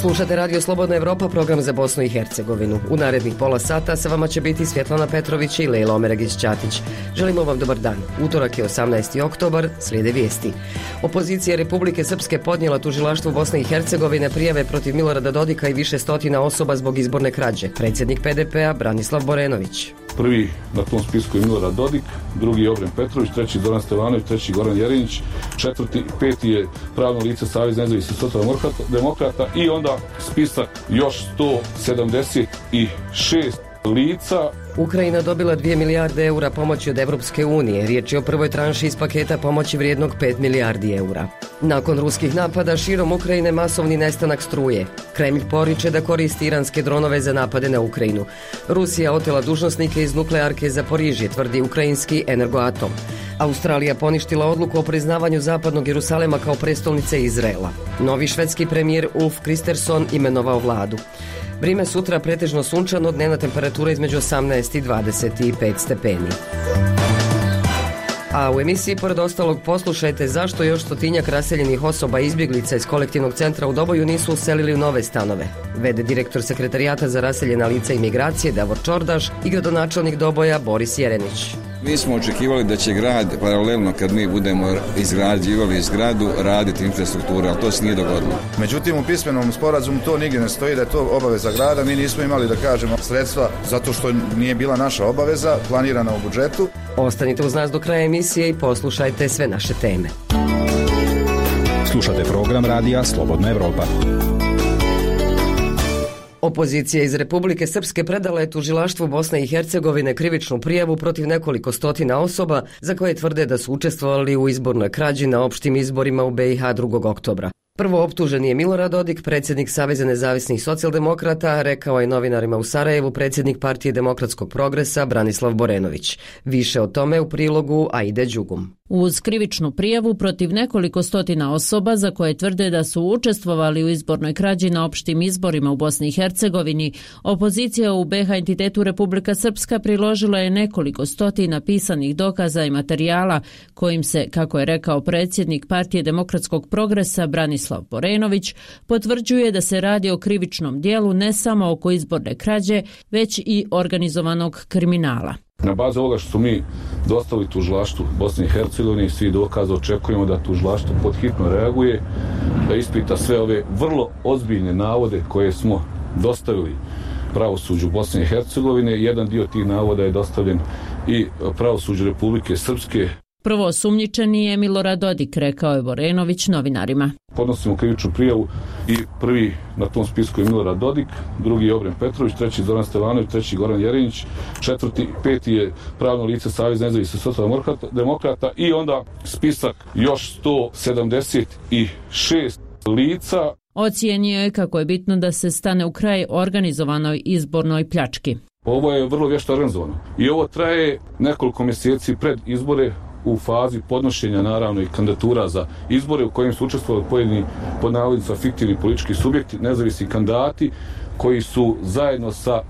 Slušate Radio Slobodna Evropa, program za Bosnu i Hercegovinu. U narednih pola sata sa vama će biti Svjetlana Petrović i Lejla Omeragić-Ćatić. Želimo vam dobar dan. Utorak je 18. oktobar, slijede vijesti. Opozicija Republike Srpske podnijela tužilaštvu Bosne i Hercegovine prijave protiv Milorada Dodika i više stotina osoba zbog izborne krađe. Predsjednik PDP-a Branislav Borenović. Prvi na tom spisku je Milorad Dodik, drugi je Obren Petrović, treći Zoran Stevanović, treći Goran Jerinić, četvrti, peti je pravno lice Savez nezavisnih socijaldemokrata i onda spisak još 176 lica. Ukrajina dobila 2 milijarde eura pomoći od Evropske unije. Riječ je o prvoj tranši iz paketa pomoći vrijednog 5 milijardi eura. Nakon ruskih napada širom Ukrajine masovni nestanak struje. Kremlj poriče da koristi iranske dronove za napade na Ukrajinu. Rusija otela dužnosnike iz nuklearke Zaporižje, tvrdi ukrajinski Energoatom. Australija poništila odluku o priznavanju zapadnog Jerusalema kao prestolnice Izraela. Novi švedski premijer Ulf Kristersson imenovao vladu. Vrijeme sutra pretežno sunčano, dnevna temperatura između 18 i 25 stepeni. A u emisiji pored ostalog poslušajte zašto još stotinjak raseljenih osoba i izbjeglica iz kolektivnog centra u Doboju nisu uselili u nove stanove. Vede direktor Sekretarijata za raseljena lica i migracije Davor Čordaš i gradonačelnik Doboja Boris Jerenić. Mi smo očekivali da će grad paralelno kad mi budemo izgrađivali zgradu raditi infrastrukturu, ali to se nije dogodilo. Međutim, u pismenom sporazumu to nigdje ne stoji da je to obaveza grada. Mi nismo imali, da kažemo, sredstva zato što nije bila naša obaveza planirana u budžetu. Ostanite uz nas do kraja emisije i poslušajte sve naše teme. Slušate program radija Slobodna Evropa. Opozicija iz Republike Srpske predala je tužilaštvu Bosne i Hercegovine krivičnu prijavu protiv nekoliko stotina osoba za koje tvrde da su učestvovali u izbornoj krađi na opštim izborima u BiH 2. oktobra. Prvo optužen je Milorad Dodik, predsjednik Saveza nezavisnih socijaldemokrata, rekao je novinarima u Sarajevu predsjednik Partije demokratskog progresa Branislav Borenović. Više o tome u prilogu Aide Đugum. Uz krivičnu prijavu protiv nekoliko stotina osoba za koje tvrde da su učestvovali u izbornoj krađi na opštim izborima u Bosni i Hercegovini, opozicija u BiH entitetu Republika Srpska priložila je nekoliko stotina pisanih dokaza i materijala kojim se, kako je rekao predsjednik Partije demokratskog progresa Branislav Borenović, potvrđuje da se radi o krivičnom dijelu ne samo oko izborne krađe, već i organizovanog kriminala. Na bazi ovoga što su mi dostavili tužilaštvu Bosne i Hercegovine i svi dokaza očekujemo da tužilaštvo podhitno reaguje, da ispita sve ove vrlo ozbiljne navode koje smo dostavili pravosuđu Bosne i Hercegovine. Jedan dio tih navoda je dostavljen i pravosuđu Republike Srpske. Prvo osumnjičeni je Milorad Dodik, rekao je Borenović novinarima. Podnosimo krivičnu prijavu i prvi na tom spisku je Milorad Dodik, drugi je Obren Petrović, treći Zoran Stevanović, treći Goran Jerinić, četvrti, peti je pravno lice Savez nezavisnih socijaldemokrata i onda spisak još 176 lica. Ocijenio je kako je bitno da se stane u kraj organizovanoj izbornoj pljački. Ovo je vrlo vješto organizovano i ovo traje nekoliko mjeseci pred izbore u fazi podnošenja naravno i kandidatura za izbore u kojim su učestvovali pojedini pod navodnicima fiktivni politički subjekti, nezavisni kandidati koji su zajedno sa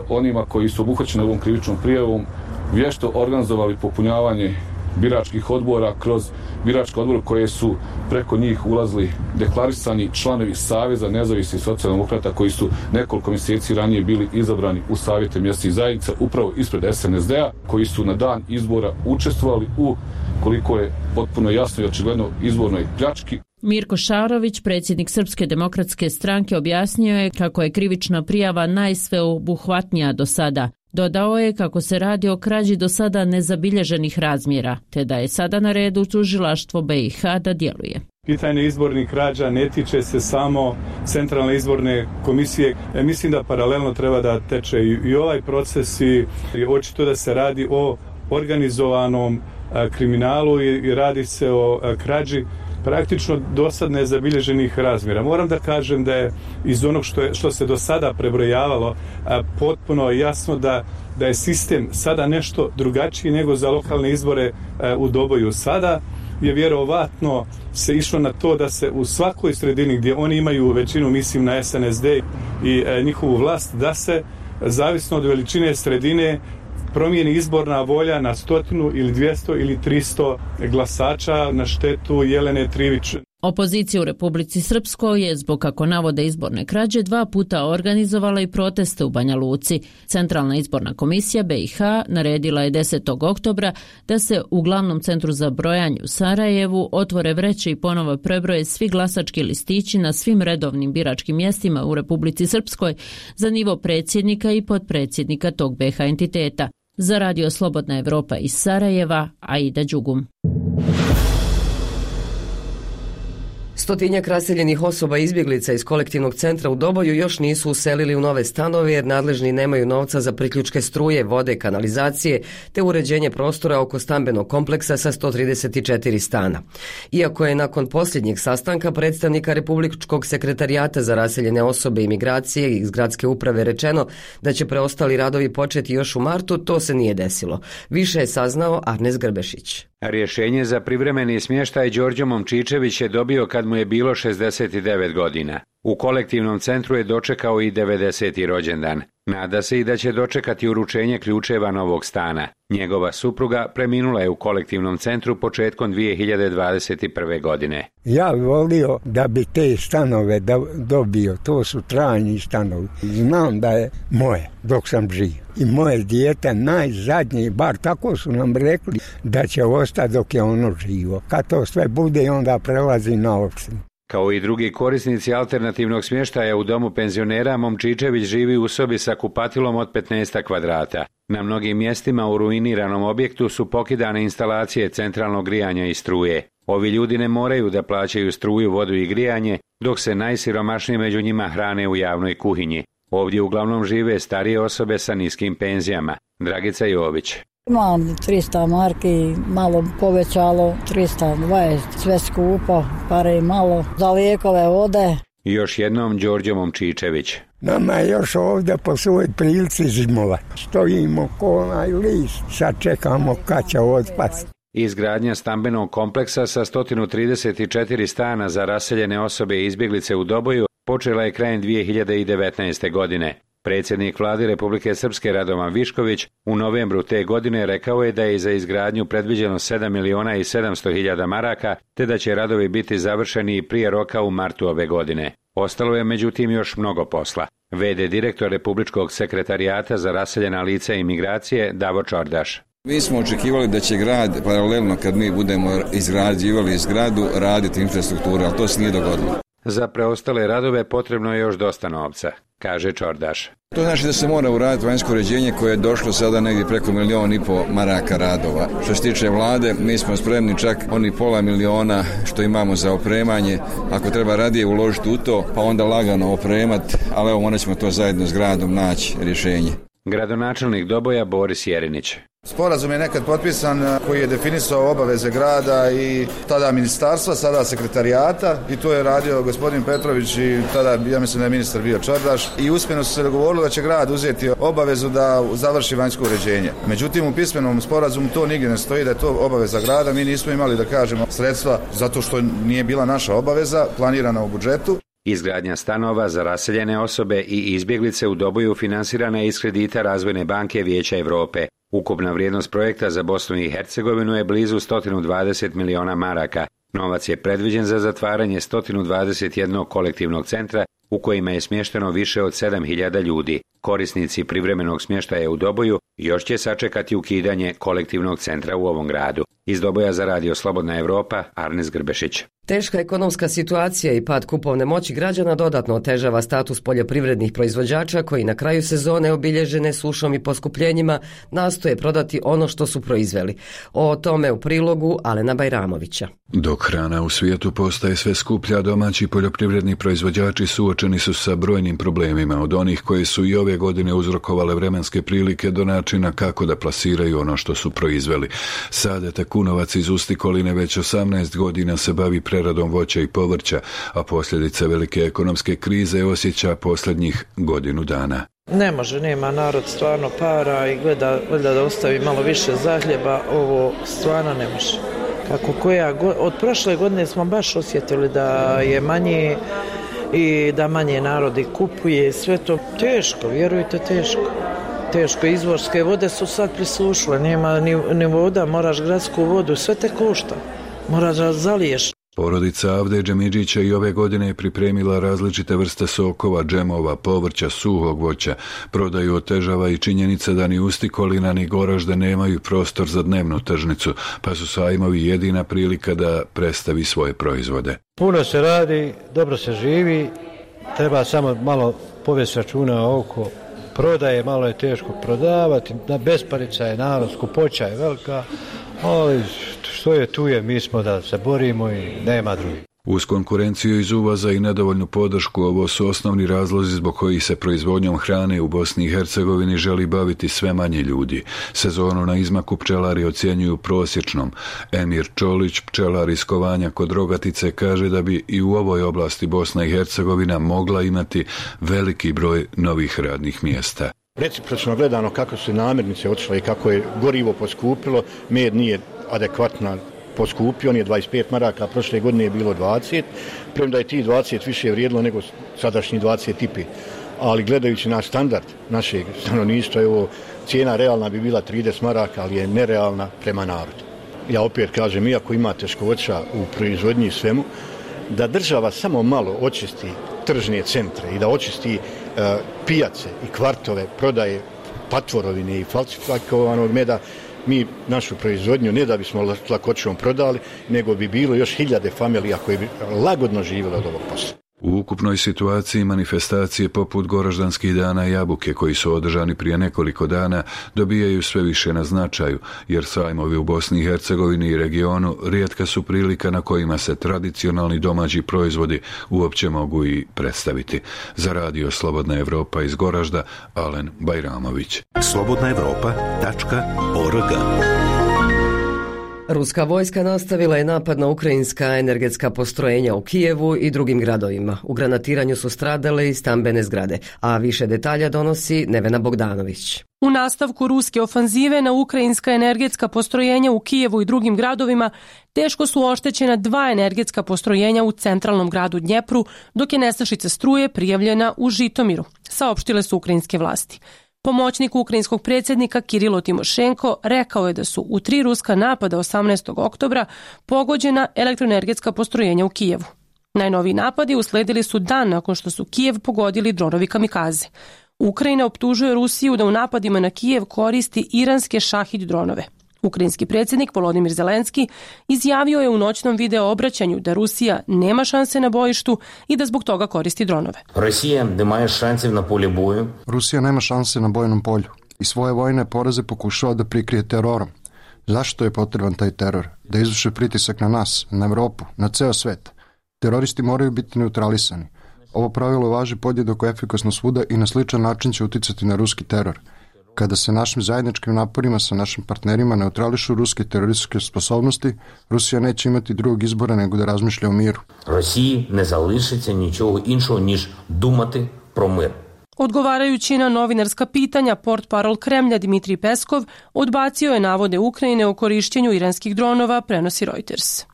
onima koji su obuhvaćeni ovom krivičnom prijavom vješto organizovali popunjavanje biračkih odbora kroz biračke odbore koje su preko njih ulazili deklarisani članovi Saveza nezavisnih socijaldemokrata koji su nekoliko mjeseci ranije bili izabrani u savjete mjesnih zajednica upravo ispred SNSD-a, koji su na dan izbora učestvovali u, koliko je potpuno jasno i očigledno, izbornoj pljački. Mirko Šarović, predsjednik Srpske demokratske stranke, objasnio je kako je krivična prijava najsveobuhvatnija do sada. Dodao je kako se radi o krađi do sada nezabilježenih razmjera, te da je sada na redu tužilaštvo BiH da djeluje. Pitanje izbornih krađa ne tiče se samo Centralne izborne komisije. Mislim da paralelno treba da teče i ovaj proces i očito da se radi o organizovanom kriminalu i radi se o krađi praktično do sad nezabilježenih razmjera. Moram da kažem da je iz onog što se do sada prebrojavalo potpuno jasno da je sistem sada nešto drugačiji nego za lokalne izbore u Doboju. Sada je vjerovatno se išlo na to da se u svakoj sredini gdje oni imaju većinu, mislim na SNSD i njihovu vlast, da se zavisno od veličine sredine promijeni izborna volja na 100 ili 200 ili 300 glasača na štetu Jelene Trivić. Opozicija u Republici Srpskoj je, zbog kako navode izborne krađe, 2 puta organizovala i proteste u Banja Luci. Centralna izborna komisija BiH naredila je 10. oktobra da se u glavnom centru za brojanje u Sarajevu otvore vreće i ponovo prebroje svi glasački listići na svim redovnim biračkim mjestima u Republici Srpskoj za nivo predsjednika i potpredsjednika tog BiH entiteta. Za Radio Slobodna Evropa iz Sarajeva, Aida Đugum. Stotinjak raseljenih osoba i izbjeglica iz kolektivnog centra u Doboju još nisu uselili u nove stanove jer nadležni nemaju novca za priključke struje, vode, kanalizacije te uređenje prostora oko stambenog kompleksa sa 134 stana. Iako je nakon posljednjeg sastanka predstavnika Republičkog sekretarijata za raseljene osobe i migracije iz gradske uprave rečeno da će preostali radovi početi još u martu, to se nije desilo. Više je saznao Arnes Grbešić. Rješenje za privremeni smještaj Đorđe Momčičević je dobio kad mu je bilo 69 godina. U kolektivnom centru je dočekao i 90. rođendan. Nada se i da će dočekati uručenje ključeva novog stana. Njegova supruga preminula je u kolektivnom centru početkom 2021. godine. Ja bih volio da bi te stanove dobio, to su trajni stanovi. Znam da je moje dok sam živ. I moje dijete najzadnji, bar tako su nam rekli, da će ostati dok je ono živo. Kad to sve bude, onda prelazi na opštinu. Kao i drugi korisnici alternativnog smještaja u domu penzionera, Momčičević živi u sobi sa kupatilom od 15 kvadrata. Na mnogim mjestima u ruiniranom objektu su pokidane instalacije centralnog grijanja i struje. Ovi ljudi ne moraju da plaćaju struju, vodu i grijanje, dok se najsiromašniji među njima hrane u javnoj kuhinji. Ovdje uglavnom žive starije osobe sa niskim penzijama. Dragica Jović. Imam 300 marki, malo povećalo, 320, sve skupo, pare i malo, za lijekove, vode. I još jednom Đorđe Momčičević. Nama je još ovdje po svojoj prilici zimova. Stojimo ko onaj list, sad čekamo kad će otpasti. Izgradnja stambenog kompleksa sa 134 stana za raseljene osobe i izbjeglice u Doboju počela je krajem 2019. godine. Predsjednik vlade Republike Srpske Radovan Višković u novembru te godine rekao je da je za izgradnju predviđeno 7.700.000 maraka, te da će radovi biti završeni prije roka u martu ove godine. Ostalo je međutim još mnogo posla. V.d. direktor Republičkog sekretarijata za raseljena lica i migracije Davor Čordaš. Mi smo očekivali da će grad paralelno kad mi budemo izgrađivali zgradu raditi infrastrukturu, ali to se nije dogodilo. Za preostale radove potrebno je još dosta novca, kaže Čordaš. To znači da se mora uraditi vanjsko uređenje koje je došlo sada negdje preko 1,5 milijuna maraka radova. Što se tiče vlade, mi smo spremni čak oni $500.000 što imamo za opremanje. Ako treba radije uložiti u to, pa onda lagano opremati, ali evo morat ćemo to zajedno s gradom naći rješenje. Gradonačelnik Doboja Boris Jerinić. Sporazum je nekad potpisan koji je definisao obaveze grada i tada ministarstva, sada sekretarijata i to je radio gospodin Petrović i tada ja mislim da je ministar bio Čordaš i uspjeno su se dogovorili da će grad uzeti obavezu da završi vanjsko uređenje. Međutim u pismenom sporazumu to nigdje ne stoji da je to obaveza grada, mi nismo imali da kažemo sredstva zato što nije bila naša obaveza planirana u budžetu. Izgradnja stanova za raseljene osobe i izbjeglice u Doboju finansirana je iz kredita Razvojne banke Vijeća Europe. Ukupna vrijednost projekta za Bosnu i Hercegovinu je blizu 120 miliona maraka. Novac je predviđen za zatvaranje 121 kolektivnog centra u kojima je smješteno više od 7.000 ljudi. Korisnici privremenog smještaja u Doboju još će sačekati ukidanje kolektivnog centra u ovom gradu. Iz Doboja za Radio Slobodna Evropa, Arnes Grbešić. Teška ekonomska situacija i pad kupovne moći građana dodatno otežava status poljoprivrednih proizvođača koji na kraju sezone obilježene sušom i poskupljenjima nastoje prodati ono što su proizveli. O tome u prilogu Alena Bajramovića. Dok hrana u svijetu postaje sve skuplja, domaći poljoprivredni proizvođači suočeni su sa brojnim problemima, od onih koje su i ove godine uzrokovale vremenske prilike do načina kako da plasiraju ono što su proizveli. Sadeta Kunovac iz Ustikoline već 18 godina se bavi preradom voća i povrća, a posljedice velike ekonomske krize osjeća posljednjih godinu dana. Ne može, nema narod stvarno para i gleda da ostavi malo više zahljeba, ovo stvarno ne može. Od prošle godine smo baš osjetili da je manje i da manje narodi kupuje, sve to teško, vjerujte teško. Izvorske vode su sad prisušile, nema ni voda, moraš gradsku vodu, sve te košta, moraš da zaliješ. Porodica Avde Džemidžića i ove godine je pripremila različite vrste sokova, džemova, povrća, suhog voća. Prodaju otežava i činjenica da ni Ustikolina ni Goražde nemaju prostor za dnevnu tržnicu, pa su sajmovi jedina prilika da predstavi svoje proizvode. Puno se radi, dobro se živi, treba samo malo povesti računa oko prodaje, malo je teško prodavati, besparica je narod, skupoća je velika, ali što je tu je, mi smo da se borimo i nema drugih. Uz konkurenciju iz uvoza i nedovoljnu podršku, ovo su osnovni razlozi zbog kojih se proizvodnjom hrane u Bosni i Hercegovini želi baviti sve manje ljudi. Sezonu na izmaku pčelari ocjenjuju prosječnom. Emir Čolić, pčelar iz Kovanja kod Rogatice, kaže da bi i u ovoj oblasti Bosna i Hercegovina mogla imati veliki broj novih radnih mjesta. Recipročno gledano kako su namirnice otišle i kako je gorivo poskupilo, med nije adekvatno poskupio, on je 25 maraka, prošle godine je bilo 20, premda je ti 20 više vrijedilo nego sadašnji 25. Ali gledajući naš standard našeg stanovništva, evo, cijena realna bi bila 30 maraka, ali je nerealna prema narodu. Ja opet kažem, iako ima teškoća u proizvodnji i svemu, da država samo malo očisti tržne centre i da očisti pijace i kvartove prodaje patvorovine i falsifikovanog meda, mi našu proizvodnju ne da bismo lakoćom prodali, nego bi bilo još hiljade familija koje bi lagodno živjele od ovog posla. U ukupnoj situaciji manifestacije poput Goraždanskih dana jabuke koji su održani prije nekoliko dana dobijaju sve više na značaju, jer sajmovi u Bosni i Hercegovini i regionu rijetka su prilika na kojima se tradicionalni domaći proizvodi uopće mogu i predstaviti. Za radio Slobodna Evropa iz Goražda, Alen Bajramović. slobodnaevropa.org. Ruska vojska nastavila je napad na ukrajinska energetska postrojenja u Kijevu i drugim gradovima. U granatiranju su stradale i stambene zgrade, a više detalja donosi Nevena Bogdanović. U nastavku ruske ofanzive na ukrajinska energetska postrojenja u Kijevu i drugim gradovima teško su oštećena 2 energetska postrojenja u centralnom gradu Dnjepru, dok je nestašica struje prijavljena u Žitomiru, saopštile su ukrajinske vlasti. Pomoćnik ukrajinskog predsjednika Kirilo Timošenko rekao je da su u 3 ruska napada 18. oktobra pogođena elektroenergetska postrojenja u Kijevu. Najnoviji napadi usledili su dan nakon što su Kijev pogodili dronovi kamikaze. Ukrajina optužuje Rusiju da u napadima na Kijev koristi iranske šahid dronove. Ukrajinski predsjednik Volodimir Zelenski izjavio je u noćnom video obraćanju da Rusija nema šanse na bojištu i da zbog toga koristi dronove. Rusija nema šanse na bojnom polju i svoje vojne poraze pokušava da prikrije terorom. Zašto je potreban taj teror? Da izvrše pritisak na nas, na Evropu, na ceo svet. Teroristi moraju biti neutralisani. Ovo pravilo važi podjednako efikasno svuda i na sličan način će uticati na ruski teror. Kada se našim zajedničkim naporima sa našim partnerima neutrališu ruske terorističke sposobnosti, Rusija neće imati drugog izbora nego da razmišlja o miru. Rosiji ne залишиться нічого іншого, ніж думати про мир. Odgovarajući na novinarska pitanja, portparol Kremlja Dmitrij Peskov odbacio je navode Ukrajine o korišćenju iranskih dronova, prenosi Reuters.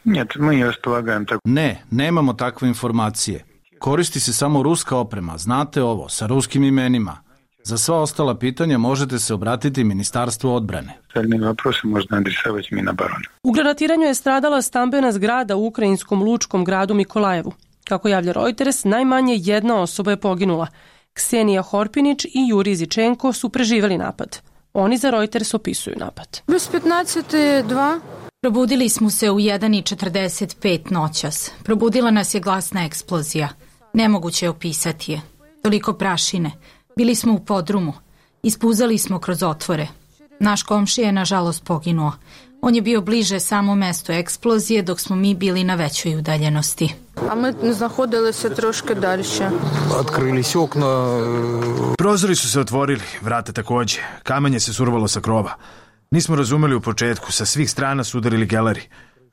Ne, nemamo takve informacije. Koristi se samo ruska oprema, znate ovo, sa ruskim imenima. Za sva ostala pitanja možete se obratiti Ministarstvu odbrane. U granatiranju je stradala stambena zgrada u ukrajinskom lučkom gradu Mikolajevu. Kako javlja Reuters, najmanje 1 osoba je poginula. Ksenija Horpinić i Jurij Zičenko su preživjeli napad. Oni za Reuters opisuju napad. Bez 15:02. Probudili smo se u 1:45 noćas. Probudila nas je glasna eksplozija. Nemoguće je opisati je. Toliko prašine. Bili smo u podrumu. Ispuzali smo kroz otvore. Naš komšija je nažalost poginuo. On je bio bliže samom mestu eksplozije dok smo mi bili na većoj udaljenosti. A mi znahodili se troške dalje. Otkrili se okna. Prozori su se otvorili, vrata također. Kamenje se survalo sa krova. Nismo razumeli u početku, sa svih strana su udarili geleri.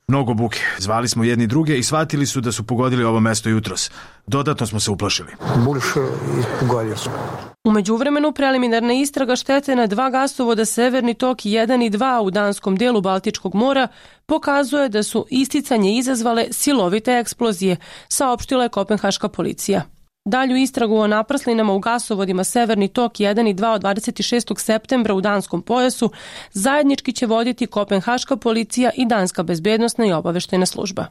Mnogo buke. Zvali smo jedni druge i shvatili su da su pogodili ovo mesto jutros. Dodatno smo se uplašili. U međuvremenu preliminarna istraga štete na 2 gasovoda Severni tok 1 i 2 u danskom delu Baltičkog mora pokazuje da su isticanje izazvale silovite eksplozije, saopštila je kopenhaška policija. Dalju istragu o naprslinama u gasovodima Severni tok 1 i 2 od 26. septembra u danskom pojasu zajednički će voditi kopenhaška policija i danska bezbednosna i obaveštajna služba.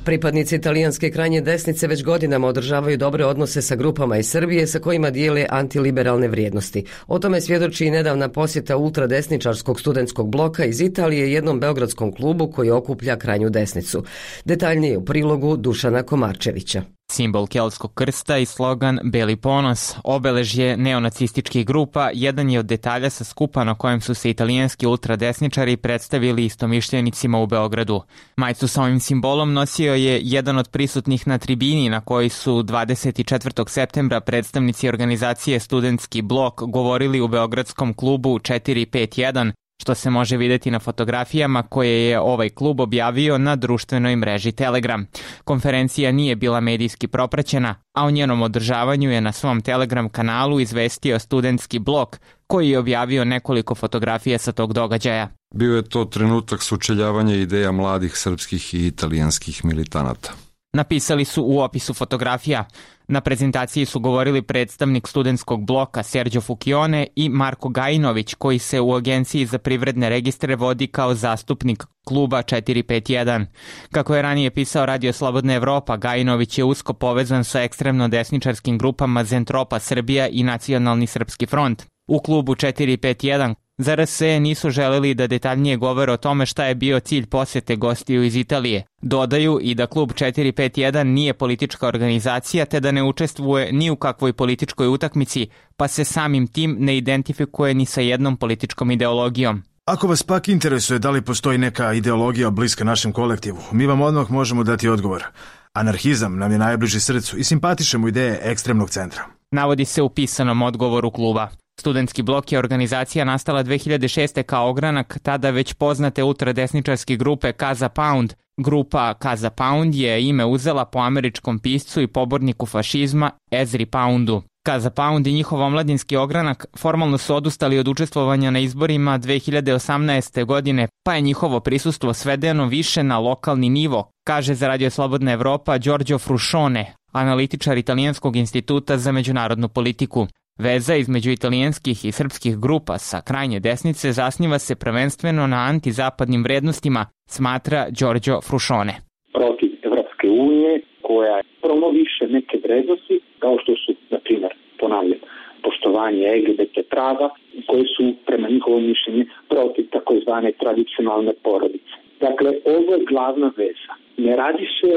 Pripadnici italijanske krajnje desnice već godinama održavaju dobre odnose sa grupama iz Srbije sa kojima dijele antiliberalne vrijednosti. O tome svjedoči i nedavna posjeta ultradesničarskog studentskog bloka iz Italije jednom beogradskom klubu koji okuplja krajnju desnicu. Detaljnije u prilogu Dušana Komarčevića. Simbol keltskog krsta i slogan Beli ponos, obeležje neonacističkih grupa, jedan je od detalja sa skupa na kojem su se italijanski ultradesničari predstavili istomišljenicima u Beogradu. Majicu sa ovim simbolom nosio je jedan od prisutnih na tribini na kojoj su 24. septembra predstavnici organizacije Studentski blok govorili u beogradskom klubu 451, što se može vidjeti na fotografijama koje je ovaj klub objavio na društvenoj mreži Telegram. Konferencija nije bila medijski propraćena, a o njenom održavanju je na svom Telegram kanalu izvestio Studentski blok, koji je objavio nekoliko fotografija sa tog događaja. Bio je to trenutak sučeljavanja ideja mladih srpskih i italijanskih militanata. Napisali su u opisu fotografija. Na prezentaciji su govorili predstavnik studentskog bloka Sergio Fukione i Marko Gajinović, koji se u Agenciji za privredne registre vodi kao zastupnik kluba 451. Kako je ranije pisao Radio Slobodna Evropa, Gajinović je usko povezan sa ekstremno desničarskim grupama Zentropa Srbija i Nacionalni srpski front. U klubu 451 za RSE nisu želeli da detaljnije govore o tome šta je bio cilj posjete gostiju iz Italije. Dodaju i da klub 451 nije politička organizacija te da ne učestvuje ni u kakvoj političkoj utakmici, pa se samim tim ne identifikuje ni sa jednom političkom ideologijom. Ako vas pak interesuje da li postoji neka ideologija bliska našem kolektivu, mi vam odmah možemo dati odgovor. Anarhizam nam je najbliži srcu i simpatišemo ideje ekstremnog centra. Navodi se u pisanom odgovoru kluba. Studentski blok je organizacija nastala 2006. kao ogranak tada već poznate ultradesničarske grupe Casa Pound. Grupa Casa Pound je ime uzela po američkom piscu i poborniku fašizma Ezri Poundu. Casa Pound i njihov omladinski ogranak formalno su odustali od učestvovanja na izborima 2018. godine, pa je njihovo prisustvo svedeno više na lokalni nivo, kaže za Radio Slobodna Evropa Giorgio Fruscione, analitičar Italijanskog instituta za međunarodnu politiku. Veza između italijanskih i srpskih grupa sa krajnje desnice zasniva se prvenstveno na antizapadnim vrednostima, smatra Giorgio Fruscione. Protiv Evropske unije koja promoviše neke vrednosti kao što su, na primjer, ponavljam, poštovanje LGBT prava koje su prema njihovom mišljenju protiv takozvane tradicionalne porodice. Dakle, ovo je glavna veza. Ne radi se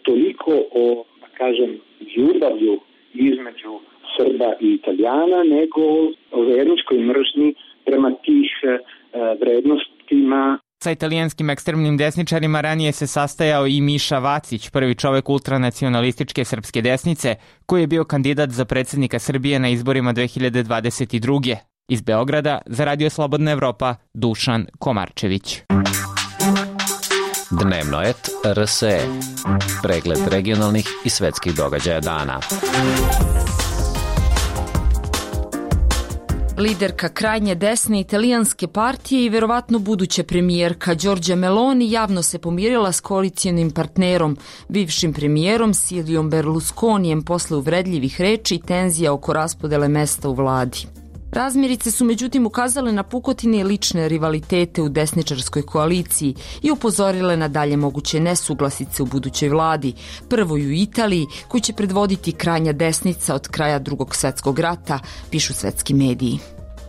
toliko o, da kažem, ljubavlju između Srba i Italijana, nego o verničkoj mržnji prema tih vrednostima. Sa italijanskim ekstremnim desničarima ranije se sastajao i Miša Vacić, prvi čovek ultranacionalističke srpske desnice, koji je bio kandidat za predsjednika Srbije na izborima 2022. Iz Beograda za Radio Slobodna Evropa, Dušan Komarčević. Dnevno et RSE. Pregled regionalnih i svetskih događaja dana. Liderka krajnje desne italijanske partije i verovatno buduća premijerka Giorgia Meloni javno se pomirila s koalicijonim partnerom, bivšim premijerom Silviom Berlusconijem posle uvredljivih reči i tenzija oko raspodele mesta u vladi. Razmirice su međutim ukazale na pukotine i lične rivalitete u desničarskoj koaliciji i upozorile na dalje moguće nesuglasice u budućoj vladi, prvoj u Italiji, koju će predvoditi krajnja desnica od kraja Drugog svjetskog rata, pišu svetski mediji.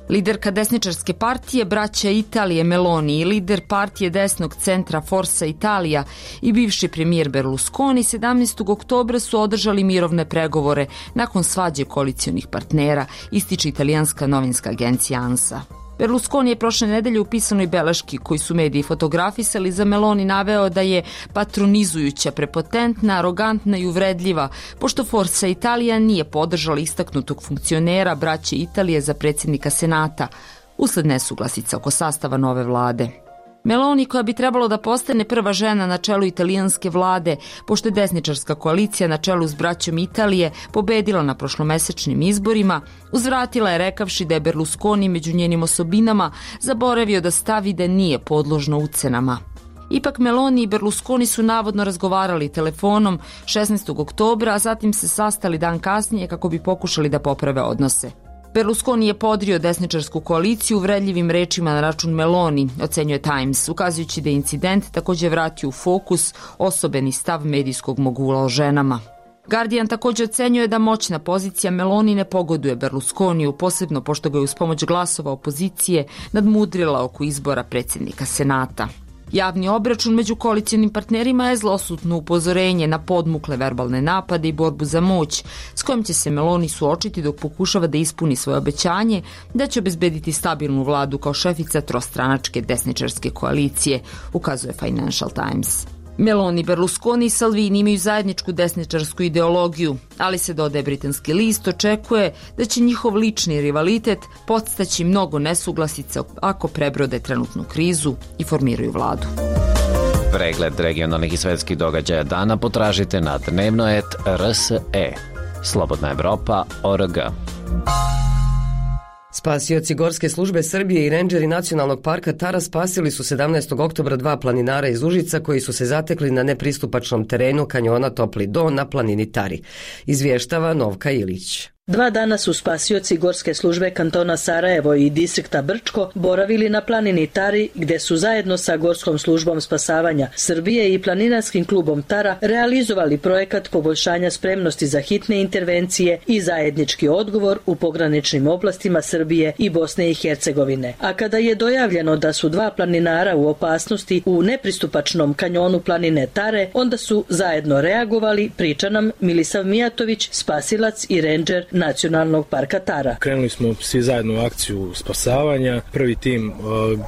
Liderka desničarske partije Braća Italije Meloni i lider partije desnog centra Forza Italia i bivši premijer Berlusconi 17. oktobra su održali mirovne pregovore nakon svađe koalicijonih partnera, ističe italijanska novinska agencija ANSA. Berlusconi je prošle nedelje u pisanoj beleški, koji su mediji fotografisali, za Meloni naveo da je patronizujuća, prepotentna, arogantna i uvredljiva, pošto Forza Italia nije podržala istaknutog funkcionera Braće Italije za predsjednika Senata, usled nesuglasica oko sastava nove vlade. Meloni, koja bi trebalo da postane prva žena na čelu italijanske vlade, pošto je desničarska koalicija na čelu s Braćom Italije pobedila na prošlomesečnim izborima, uzvratila je rekavši da je Berlusconi među njenim osobinama zaboravio da stavi da nije podložno ucenama. Ipak Meloni i Berlusconi su navodno razgovarali telefonom 16. oktobra, a zatim se sastali dan kasnije kako bi pokušali da poprave odnose. Berlusconi je podrio desničarsku koaliciju uvredljivim rečima na račun Meloni, ocenjuje Times, ukazujući da je incident također vratio u fokus osobeni stav medijskog mogula o ženama. Guardian također ocenjuje da moćna pozicija Meloni ne pogoduje Berlusconiju, posebno pošto ga je uz pomoć glasova opozicije nadmudrila oko izbora predsjednika Senata. Javni obračun među koalicionim partnerima je zlosutno upozorenje na podmukle verbalne napade i borbu za moć, s kojim će se Meloni suočiti dok pokušava da ispuni svoje obećanje da će obezbediti stabilnu vladu kao šefica trostranačke desničarske koalicije, ukazuje Financial Times. Meloni, Berlusconi i Salvini imaju zajedničku desničarsku ideologiju, ali se, dodaje britanski list, očekuje da će njihov lični rivalitet podstaći mnogo nesuglasica ako prebrode trenutnu krizu i formiraju vladu. Pregled regionalnih i svetskih događaja dana potražite na dnevnoet.rs.e. Slobodna Evropa.org. Spasioci Gorske službe Srbije i rendžeri Nacionalnog parka Tara spasili su 17. oktobra 2 planinara iz Užica koji su se zatekli na nepristupačnom terenu kanjona Topli Do na planini Tari. Izvještava Novka Ilić. 2 dana su spasioci Gorske službe kantona Sarajevo i distrikta Brčko boravili na planini Tari, gdje su zajedno sa Gorskom službom spasavanja Srbije i planinarskim klubom Tara realizovali projekat poboljšanja spremnosti za hitne intervencije i zajednički odgovor u pograničnim oblastima Srbije i Bosne i Hercegovine. A kada je dojavljeno da su 2 planinara u opasnosti u nepristupačnom kanjonu planine Tare, onda su zajedno reagovali, priča nam Milisav Mijatović, spasilac i rendžer Nacionalnog parka Tara. Krenuli smo svi zajedno u akciju spasavanja. Prvi tim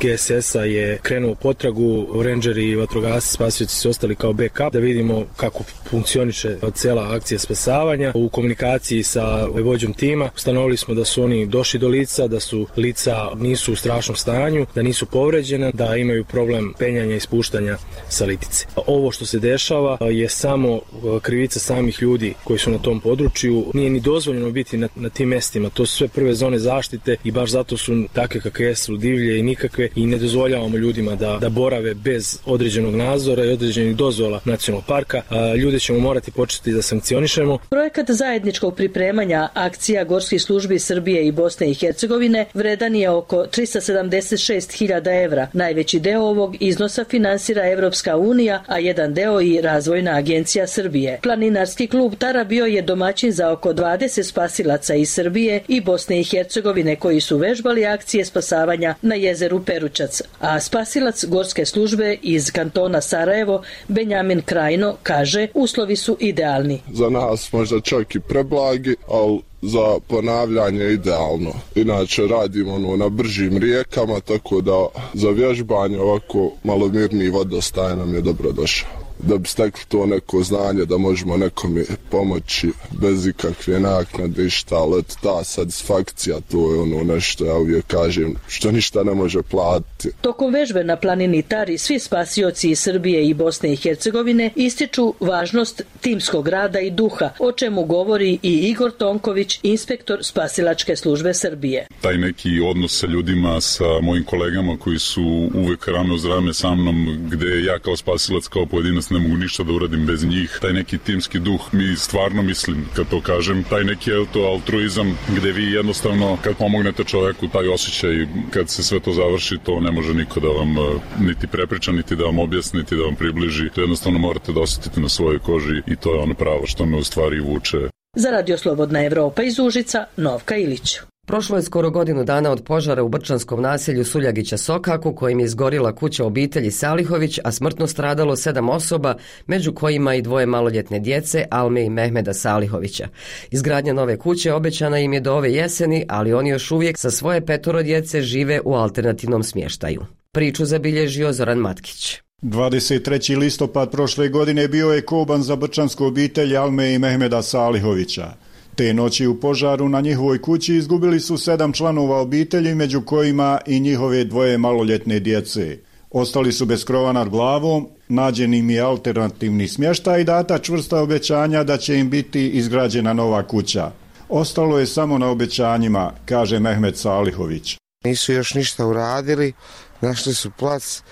GSS-a je krenuo potragu, rendžeri i vatrogasci spasioci su ostali kao backup da vidimo kako funkcioniše cijela akcija spasavanja. U komunikaciji sa vođom tima ustanovili smo da su oni došli do lica, da su lica nisu u strašnom stanju, da nisu povređena, da imaju problem penjanja i spuštanja sa litice. Ovo što se dešava je samo krivica samih ljudi koji su na tom području. Nije ni dozvoljeno biti na tim mestima. To su sve prve zone zaštite i baš zato su takve kakve su divlje i nikakve i ne dozvoljavamo ljudima da borave bez određenog nadzora i određenih dozvola nacionalnog parka. Ljude ćemo morati početi da sankcionišemo. Projekat zajedničkog pripremanja akcija Gorskih službi Srbije i Bosne i Hercegovine vredan je oko 376.000 evra. Najveći deo ovog iznosa finansira Evropska unija, a jedan deo i Razvojna agencija Srbije. Planinarski klub Tara bio je domaćin za oko 20 spasilaca iz Srbije i Bosne i Hercegovine koji su vežbali akcije spasavanja na jezeru Peručac. A spasilac Gorske službe iz kantona Sarajevo, Benjamin Krajno, kaže uslovi su idealni. Za nas možda čak i preblagi, ali za ponavljanje idealno. Inače radimo na bržim rijekama, tako da za vježbanje ovako malo mirniji vodostaj nam je dobro došao. Da bi stekli to neko znanje da možemo nekome pomoći bez ikakve naknade i šta, ali ta satisfakcija, to je nešto, ja uvijek kažem, što ništa ne može platiti. Tokom vežbe na planini Tari svi spasioci iz Srbije i Bosne i Hercegovine ističu važnost timskog rada i duha, o čemu govori i Igor Tonković, inspektor spasilačke službe Srbije. Taj neki odnos sa ljudima, sa mojim kolegama koji su uvek rame uz rame sa mnom, gde ja kao spasilac, kao pojedinac ne mogu ništa da uradim bez njih. Taj neki timski duh mi stvarno mislim, kad to kažem, taj neki altruizam gde vi jednostavno kad pomognete čoveku, taj osjećaj kad se sve to završi, to ne može niko da vam niti prepriča, niti da vam objasni, niti da vam približi. To jednostavno morate da osjetite na svojoj koži i to je ono pravo što me u stvari vuče. Za Radio Slobodna Evropa iz Užica, Novka Ilić. Prošlo je skoro godinu dana od požara u brčanskom naselju Suljagića Sokaku, kojim je izgorila kuća obitelji Salihović, a smrtno stradalo 7 osoba, među kojima i 2 maloljetne djece, Alme i Mehmeda Salihovića. Izgradnja nove kuće obećana im je do ove jeseni, ali oni još uvijek sa svoje 5 djece žive u alternativnom smještaju. Priču zabilježio Zoran Matkić. 23. listopad prošle godine bio je koban za brčansku obitelj Alme i Mehmeda Salihovića. Te noći u požaru na njihovoj kući izgubili su 7 članova obitelji, među kojima i njihove 2 maloljetne djece. Ostali su bez krova nad glavom, nađen im je alternativni smještaj i data čvrsta obećanja da će im biti izgrađena nova kuća. Ostalo je samo na obećanjima, kaže Mehmed Salihović. Nisu još ništa uradili, našli su plac,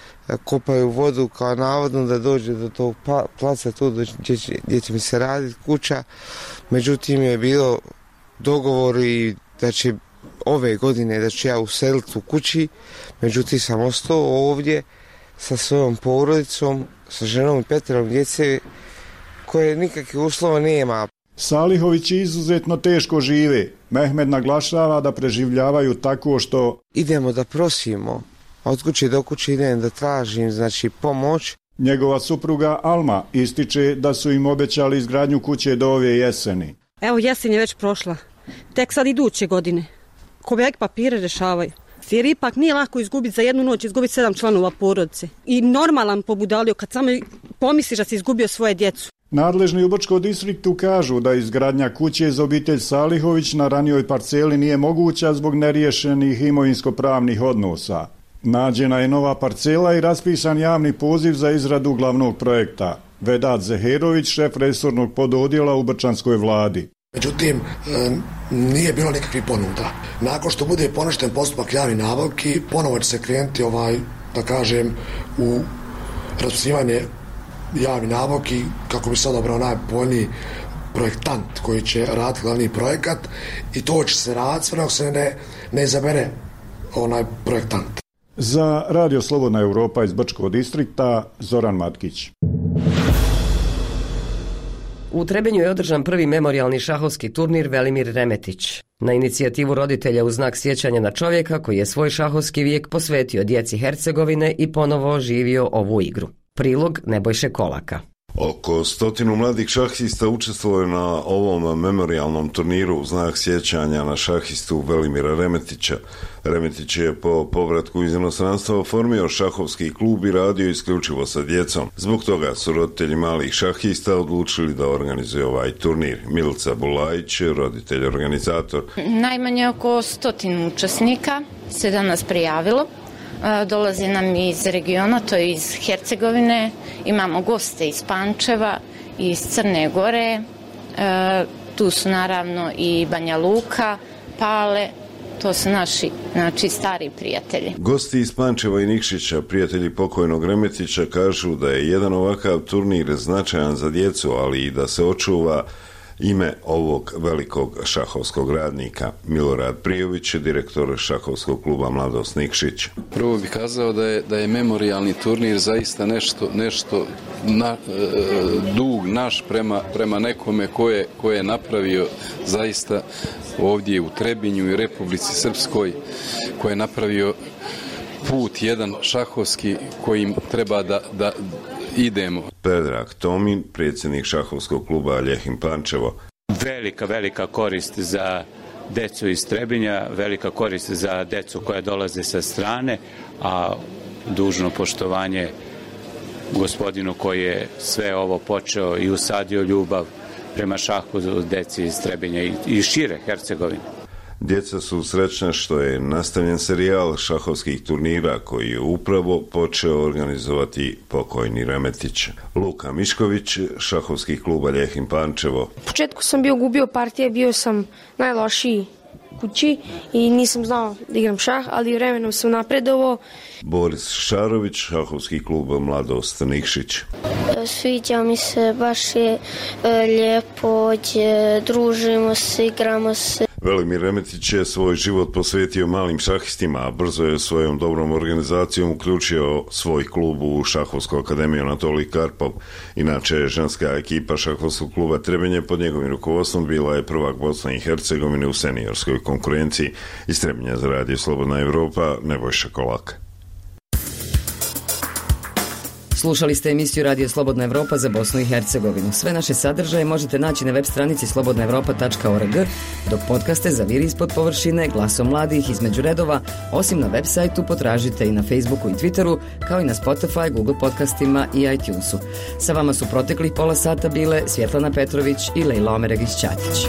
kopaju vodu kao navodno da dođe do tog placa tu gdje će mi se raditi kuća. Međutim je bilo dogovor i da će ove godine da ću ja useliti u kući, međutim sam ostao ovdje sa svojom porodicom, sa ženom i 5 djece koje nikakvih uslova nema. Salihovići izuzetno teško žive. Mehmed naglašava da preživljavaju tako što idemo da prosimo, od kuće do kuće idem da tražim pomoć. Njegova supruga Alma ističe da su im obećali izgradnju kuće do ove jeseni. Evo, jesen je već prošla, tek sad iduće godine. Kobjek papire rešavaju. Jer ipak nije lako izgubiti za jednu noć, izgubiti 7 članova porodice. I normalan pobudalio kad samo pomisliš da si izgubio svoje djecu. Nadležni u Brčkom distriktu kažu da izgradnja kuće za obitelj Salihović na ranijoj parceli nije moguća zbog neriješenih imovinsko-pravnih odnosa. Nađena je nova parcela i raspisan javni poziv za izradu glavnog projekta. Vedat Zeherović, šef resornog pododjela u brčanskoj vladi. Međutim, nije bilo nikakvih ponuda. Nakon što bude poništen postupak javnih nabavki, ponovo će se krenuti u raspisivanje javnih nabavki kako bi se odabrao najpovoljniji projektant koji će raditi glavni projekat i to će se raditi sve dok se ne izabere projektant. Za Radio Slobodna Europa iz Brčkog distrikta, Zoran Matkić. U Trebinju je održan prvi memorijalni šahovski turnir Velimir Remetić. Na inicijativu roditelja u znak sjećanja na čovjeka koji je svoj šahovski vijek posvetio djeci Hercegovine i ponovo oživio ovu igru. Prilog Nebojše Kolaka. Oko 100 mladih šahista učestvovalo na ovom memorijalnom turniru u znak sjećanja na šahistu Velimira Remetića. Remetić je po povratku iz inostranstva oformio šahovski klub i radio isključivo sa djecom. Zbog toga su roditelji malih šahista odlučili da organizuje ovaj turnir. Milica Bulajić, roditelj organizator. Najmanje oko 100 učesnika se danas prijavilo. Dolazi nam iz regiona, to je iz Hercegovine, imamo goste iz Pančeva, iz Crne Gore, tu su naravno i Banja Luka, Pale, to su naši stari prijatelji. Gosti iz Pančeva i Nikšića, prijatelji pokojnog Remetića, kažu da je jedan ovakav turnir značajan za djecu, ali i da se očuva ime ovog velikog šahovskog radnika. Milorad Prijović, direktor šahovskog kluba Mladost Nikšić. Prvo bih kazao da je memorijalni turnir zaista nešto dug naš prema nekome ko je napravio zaista ovdje u Trebinju i Republici Srpskoj, ko je napravio put jedan šahovski kojim treba da idemo. Predrag Tomin, predsjednik šahovskog kluba Ljehim Pančevo. Velika korist za decu iz Trebinja, velika korist za decu koja dolaze sa strane, a dužno poštovanje gospodinu koji je sve ovo počeo i usadio ljubav prema šahu deci iz Trebinja i šire Hercegovine. Djeca su srećna što je nastavljen serijal šahovskih turnira koji je upravo počeo organizovati pokojni Remetić. Luka Mišković, šahovskih kluba Ljehim Pančevo. U početku sam gubio partije, bio sam najlošiji kući i nisam znao da igram šah, ali vremenom sam napredovao. Boris Šarović, šahovski klub Mladost Nikšić. Sviđa mi se, baš je lijepo, družimo se, igramo se. Velimir Remetić je svoj život posvetio malim šahistima, a brzo je svojom dobrom organizacijom uključio svoj klub u Šahovsku akademiju Anatolij Karpov. Inače, ženska ekipa šahovskog kluba Trebinje pod njegovim rukovodstvom bila je prvak Bosne i Hercegovine u seniorskoj konkurenciji. Iz Trebinja za Radio Slobodna Europa, Nebojša Kolak. Slušali ste emisiju Radio Slobodna Evropa za Bosnu i Hercegovinu. Sve naše sadržaje možete naći na web stranici slobodnaevropa.org, dok podcaste za Vir ispod površine, Glasom mladih, Između redova, osim na web sajtu potražite i na Facebooku i Twitteru, kao i na Spotify, Google podcastima i iTunesu. Sa vama su proteklih pola sata bile Svjetlana Petrović i Lejla Omeregić-Ćatić.